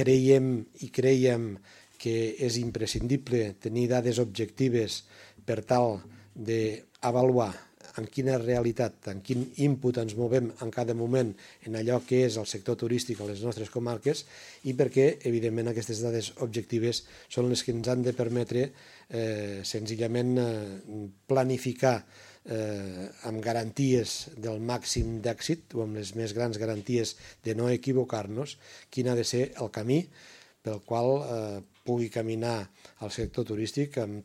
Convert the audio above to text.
creiem que és imprescindible tenir dades objectives per tal d'avaluar en quina realitat, en quin input ens movem en cada moment en allò que és el sector turístic a les nostres comarques i perquè, evidentment, aquestes dades objectives són les que ens han de permetre senzillament planificar amb garanties del màxim d'èxit o amb les més grans garanties de no equivocar-nos quin ha de ser el camí pel qual pugui caminar el sector turístic amb